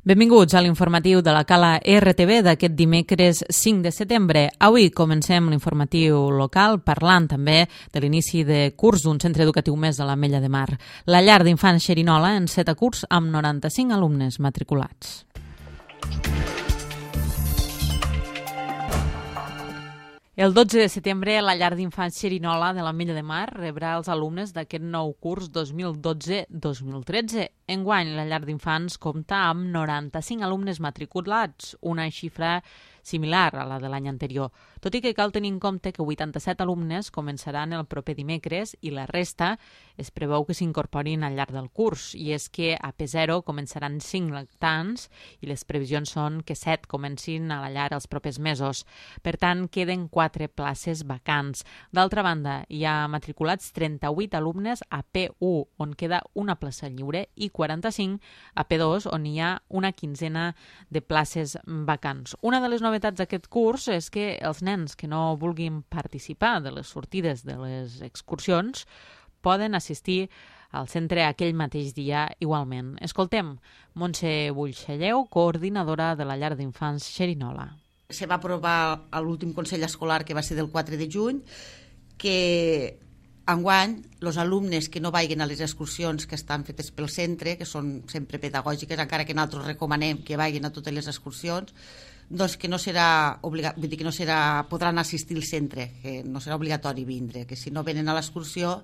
Benvinguts a l'informatiu de la Cala RTV d'aquest dimecres 5 de setembre. Avui comencem l'informatiu local parlant també de l'inici de curs d'un centre educatiu més de l'Ametlla de Mar. La llar d'infants Xerinola enceta curs amb 95 alumnes matriculats. El 12 de setembre, la llar d'infants Xerinola de l'Ametlla de Mar rebrà els alumnes d'aquest nou curs 2012-2013. Enguany, la llar d'infants compta amb 95 alumnes matriculats, una xifra similar a la de l'any anterior, tot i que cal tenir en compte que 87 alumnes començaran el proper dimecres i la resta es preveu que s'incorporin al llarg del curs, i és que a P0 començaran 5 lactants i les previsions són que 7 comencin a la llar els propers mesos. Per tant, queden 4 places vacants. D'altra banda, hi ha matriculats 38 alumnes a P1, on queda una plaça lliure, i 45 a P2, on hi ha una quinzena de places vacants. Una de les novetats d'aquest curs és que els nens que no vulguin participar de les sortides de les excursions poden assistir al centre aquell mateix dia igualment. Escoltem Montse Buixalleu, coordinadora de la llar d'infants Xerinola. Se va aprovar a l'últim Consell Escolar, que va ser del 4 de juny, que enguany els alumnes que no vagin a les excursions que estan fetes pel centre, que són sempre pedagògiques, encara que nosaltres recomanem que vagin a totes les excursions, doncs que no serà podran assistir al centre, que no serà obligatori vindre, que si no venen a l'excursió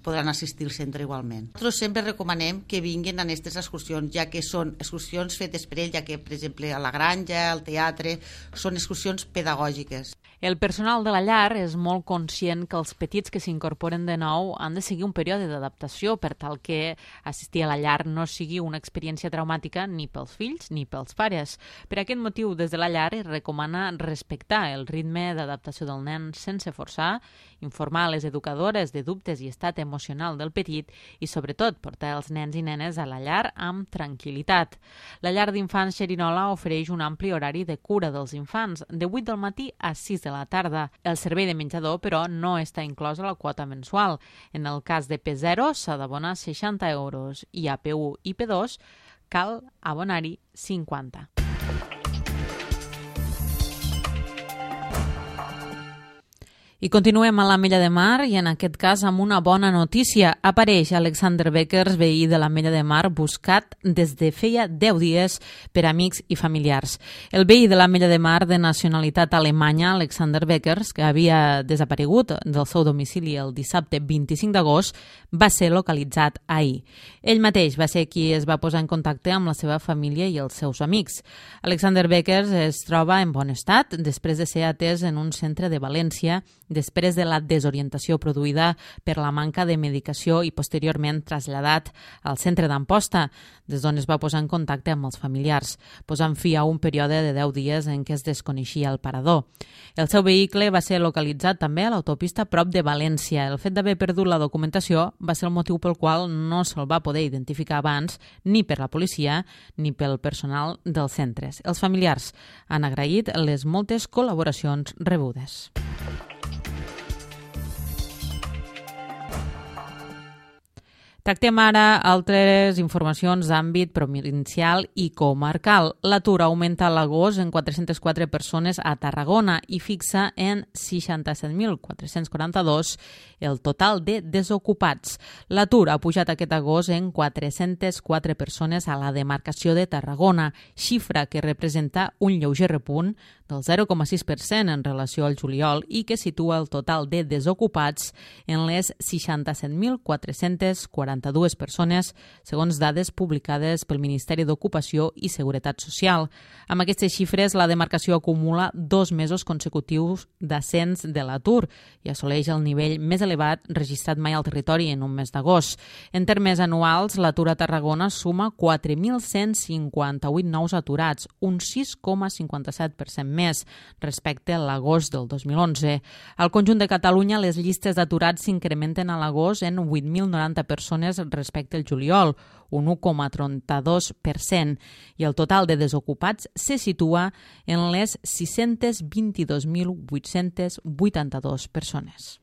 podran assistir al centre igualment. Nosaltres sempre recomanem que vinguin a aquestes excursions, ja que són excursions fetes per ell, ja que, per exemple, a la granja, al teatre, són excursions pedagògiques. El personal de la llar és molt conscient que els petits que s'incorporen de nou han de seguir un període d'adaptació per tal que assistir a la llar no sigui una experiència traumàtica ni pels fills ni pels pares. Per aquest motiu, des de la llar es recomana respectar el ritme d'adaptació del nen sense forçar, informar a les educadores de dubtes i estat emocional del petit i, sobretot, portar els nens i nenes a la llar amb tranquil·litat. La llar d'infants Xerinola ofereix un ampli horari de cura dels infants, de 8 del matí a 6 de la tarda. El servei de menjador, però, no està inclòs a la quota mensual. En el cas de P0 s'ha d'abonar 60 euros i a P1 i P2 cal abonar-hi 50. I continuem a l'Ametlla de Mar i en aquest cas amb una bona notícia. Apareix Alexander Beckers, veí de l'Ametlla de Mar, buscat des de feia 10 dies per amics i familiars. El veí de l'Ametlla de Mar de nacionalitat alemanya, Alexander Beckers, que havia desaparegut del seu domicili el dissabte 25 d'agost, va ser localitzat ahir. Ell mateix va ser qui es va posar en contacte amb la seva família i els seus amics. Alexander Beckers es troba en bon estat després de ser atès en un centre de València després de la desorientació produïda per la manca de medicació i posteriorment traslladat al centre d'Amposta, des d'on es va posar en contacte amb els familiars, posant fi a un període de 10 dies en què es desconeixia el parador. El seu vehicle va ser localitzat també a l'autopista prop de València. El fet d'haver perdut la documentació va ser el motiu pel qual no se'l va poder identificar abans ni per la policia ni pel personal dels centres. Els familiars han agraït les moltes col·laboracions rebudes. Tractem ara altres informacions d'àmbit provincial i comarcal. L'atur augmenta a l'agost en 404 persones a Tarragona i fixa en 67.442 el total de desocupats. L'atur ha pujat aquest agost en 404 persones a la demarcació de Tarragona, xifra que representa un lleuger repunt del 0,6% en relació al juliol i que situa el total de desocupats en les 67.442 persones, segons dades publicades pel Ministeri d'Ocupació i Seguretat Social. Amb aquestes xifres, la demarcació acumula 2 mesos consecutius d'ascens de l'atur i assoleix el nivell més elevat registrat mai al territori en un mes d'agost. En termes anuals, l'atur a Tarragona suma 4.158 nous aturats, un 6,57% més respecte a l'agost del 2011. Al conjunt de Catalunya, les llistes d'aturats s'incrementen a l'agost en 8.090 persones respecte al juliol, un 1,32%, i el total de desocupats se situa en les 622.882 persones.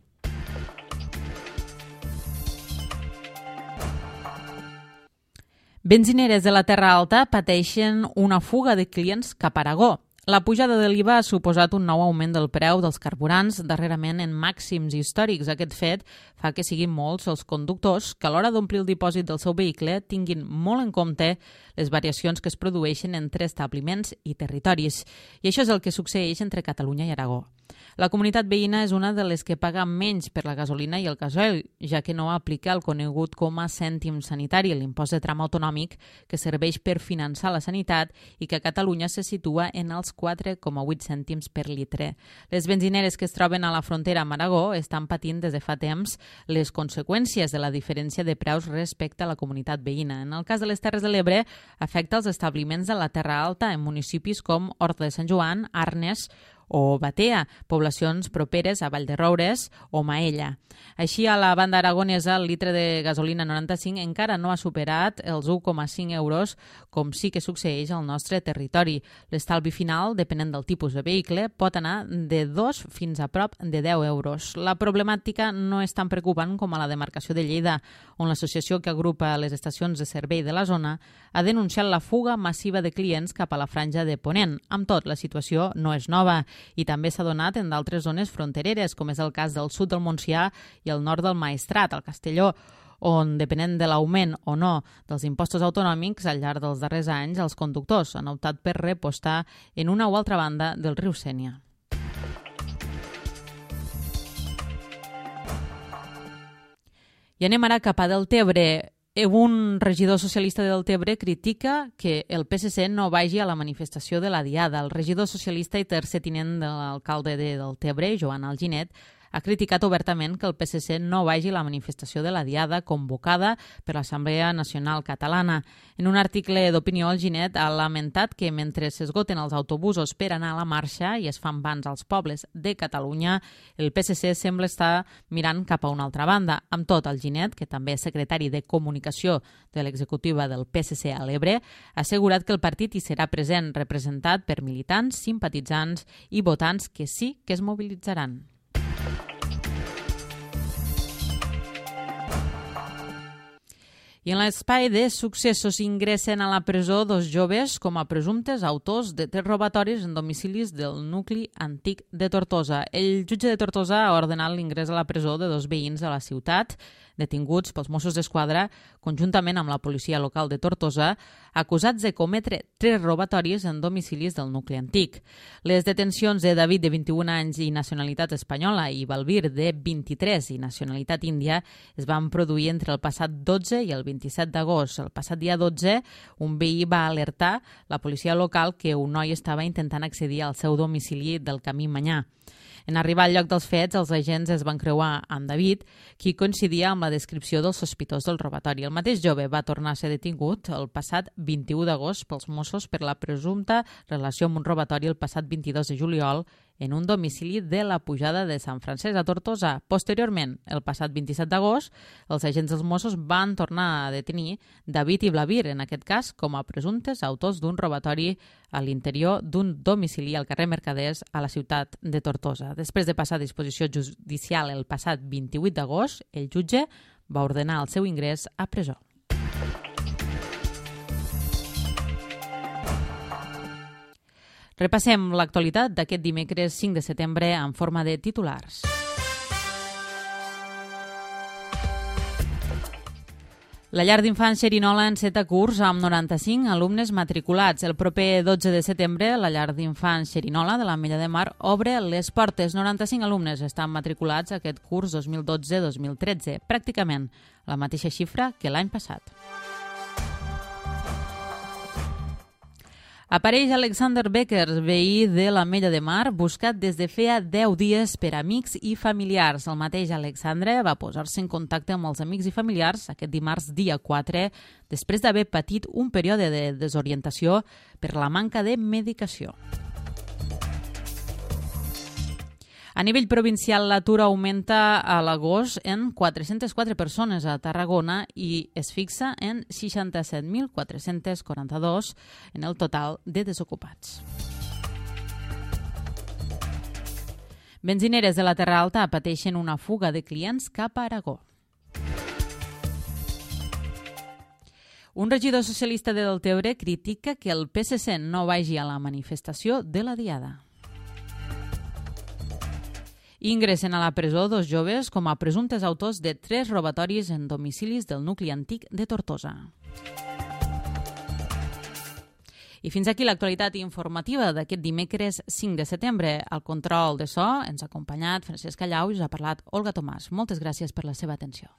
Benzineres de la Terra Alta pateixen una fuga de clients cap a Aragó. La pujada de l'IVA ha suposat un nou augment del preu dels carburants, darrerament en màxims històrics. Aquest fet fa que siguin molts els conductors que a l'hora d'omplir el dipòsit del seu vehicle tinguin molt en compte les variacions que es produeixen entre establiments i territoris. I això és el que succeeix entre Catalunya i Aragó. La comunitat veïna és una de les que paga menys per la gasolina i el gasoil, ja que no aplica el conegut com a cèntim sanitari, l'impost de tram autonòmic que serveix per finançar la sanitat i que a Catalunya se situa en els 4,8 cèntims per litre. Les benzineres que es troben a la frontera amb Aragó estan patint des de fa temps les conseqüències de la diferència de preus respecte a la comunitat veïna. En el cas de les Terres de l'Ebre, afecta els establiments de la Terra Alta en municipis com Horta de Sant Joan, Arnes o Batea, poblacions properes a Vallderoures o Maella. Així, a la banda aragonesa, el litre de gasolina 95 encara no ha superat els 1,5 euros, com sí que succeeix al nostre territori. L'estalvi final, depenent del tipus de vehicle, pot anar de 2 fins a prop de 10 euros. La problemàtica no és tan preocupant com a la demarcació de Lleida, on l'associació que agrupa les estacions de servei de la zona ha denunciat la fuga massiva de clients cap a la franja de Ponent. Amb tot, la situació no és nova i també s'ha donat en d'altres zones frontereres, com és el cas del sud del Montsià i el nord del Maestrat, al Castelló, on, depenent de l'augment o no dels impostos autonòmics, al llarg dels darrers anys, els conductors han optat per repostar en una o altra banda del riu Sénia. I anem ara cap a Deltebre. Un regidor socialista de Deltebre critica que el PSC no vagi a la manifestació de la Diada. El regidor socialista i tercer tinent de l'alcalde de Deltebre, Joan Alginet, ha criticat obertament que el PSC no vagi a la manifestació de la Diada convocada per l'Assemblea Nacional Catalana. En un article d'opinió, Alginet ha lamentat que mentre s'esgoten els autobusos per anar a la marxa i es fan bans als pobles de Catalunya, el PSC sembla estar mirant cap a una altra banda. Amb tot, Alginet, que també és secretari de Comunicació de l'executiva del PSC a l'Ebre, ha assegurat que el partit hi serà present, representat per militants, simpatitzants i votants que sí que es mobilitzaran. I en l'espai de successos ingressen a la presó 2 joves com a presumptes autors de 3 robatoris en domicilis del nucli antic de Tortosa. El jutge de Tortosa ha ordenat l'ingrés a la presó de 2 veïns de la ciutat, detinguts pels Mossos d'Esquadra, conjuntament amb la policia local de Tortosa, acusats de cometre 3 robatoris en domicilis del nucli antic. Les detencions de David, de 21 anys i nacionalitat espanyola, i Balbir, de 23 i nacionalitat índia, es van produir entre el passat 12 i el 27 d'agost. El passat dia 12, un veí va alertar la policia local que un noi estava intentant accedir al seu domicili del Camí Manyà. En arribar al lloc dels fets, els agents es van creuar amb David, qui coincidia amb la descripció del sospitós del robatori. El mateix jove va tornar a ser detingut el passat 21 d'agost pels Mossos per la presumpta relació amb un robatori el passat 22 de juliol en un domicili de la Pujada de Sant Francesc a Tortosa. Posteriorment, el passat 27 d'agost, els agents dels Mossos van tornar a detenir David i Blavir, en aquest cas com a presumptes autors d'un robatori a l'interior d'un domicili al carrer Mercaders a la ciutat de Tortosa. Després de passar a disposició judicial el passat 28 d'agost, el jutge va ordenar el seu ingrés a presó. Repassem l'actualitat d'aquest dimecres 5 de setembre en forma de titulars. La llar d'infants Xerinola enceta curs amb 95 alumnes matriculats. El proper 12 de setembre, la llar d'infants Xerinola de l'Ametlla de Mar obre les portes. 95 alumnes estan matriculats aquest curs 2012-2013, pràcticament la mateixa xifra que l'any passat. Apareix Alexander Beckers, veí de l'Ametlla de Mar, buscat des de feia 10 dies per amics i familiars. El mateix Alexandre va posar-se en contacte amb els amics i familiars aquest dimarts dia 4, després d'haver patit un període de desorientació per la manca de medicació. A nivell provincial, l'atur augmenta a l'agost en 404 persones a Tarragona i es fixa en 67.442 en el total de desocupats. Benzineres de la Terra Alta pateixen una fuga de clients cap a Aragó. Un regidor socialista de Deltebre critica que el PSC no vagi a la manifestació de la Diada. Ingressen a la presó dos joves com a presumptes autors de 3 robatoris en domicilis del nucli antic de Tortosa. I fins aquí l'actualitat informativa d'aquest dimecres 5 de setembre. Al control de so ens ha acompanyat Francesc Callau i us ha parlat Olga Tomàs. Moltes gràcies per la seva atenció.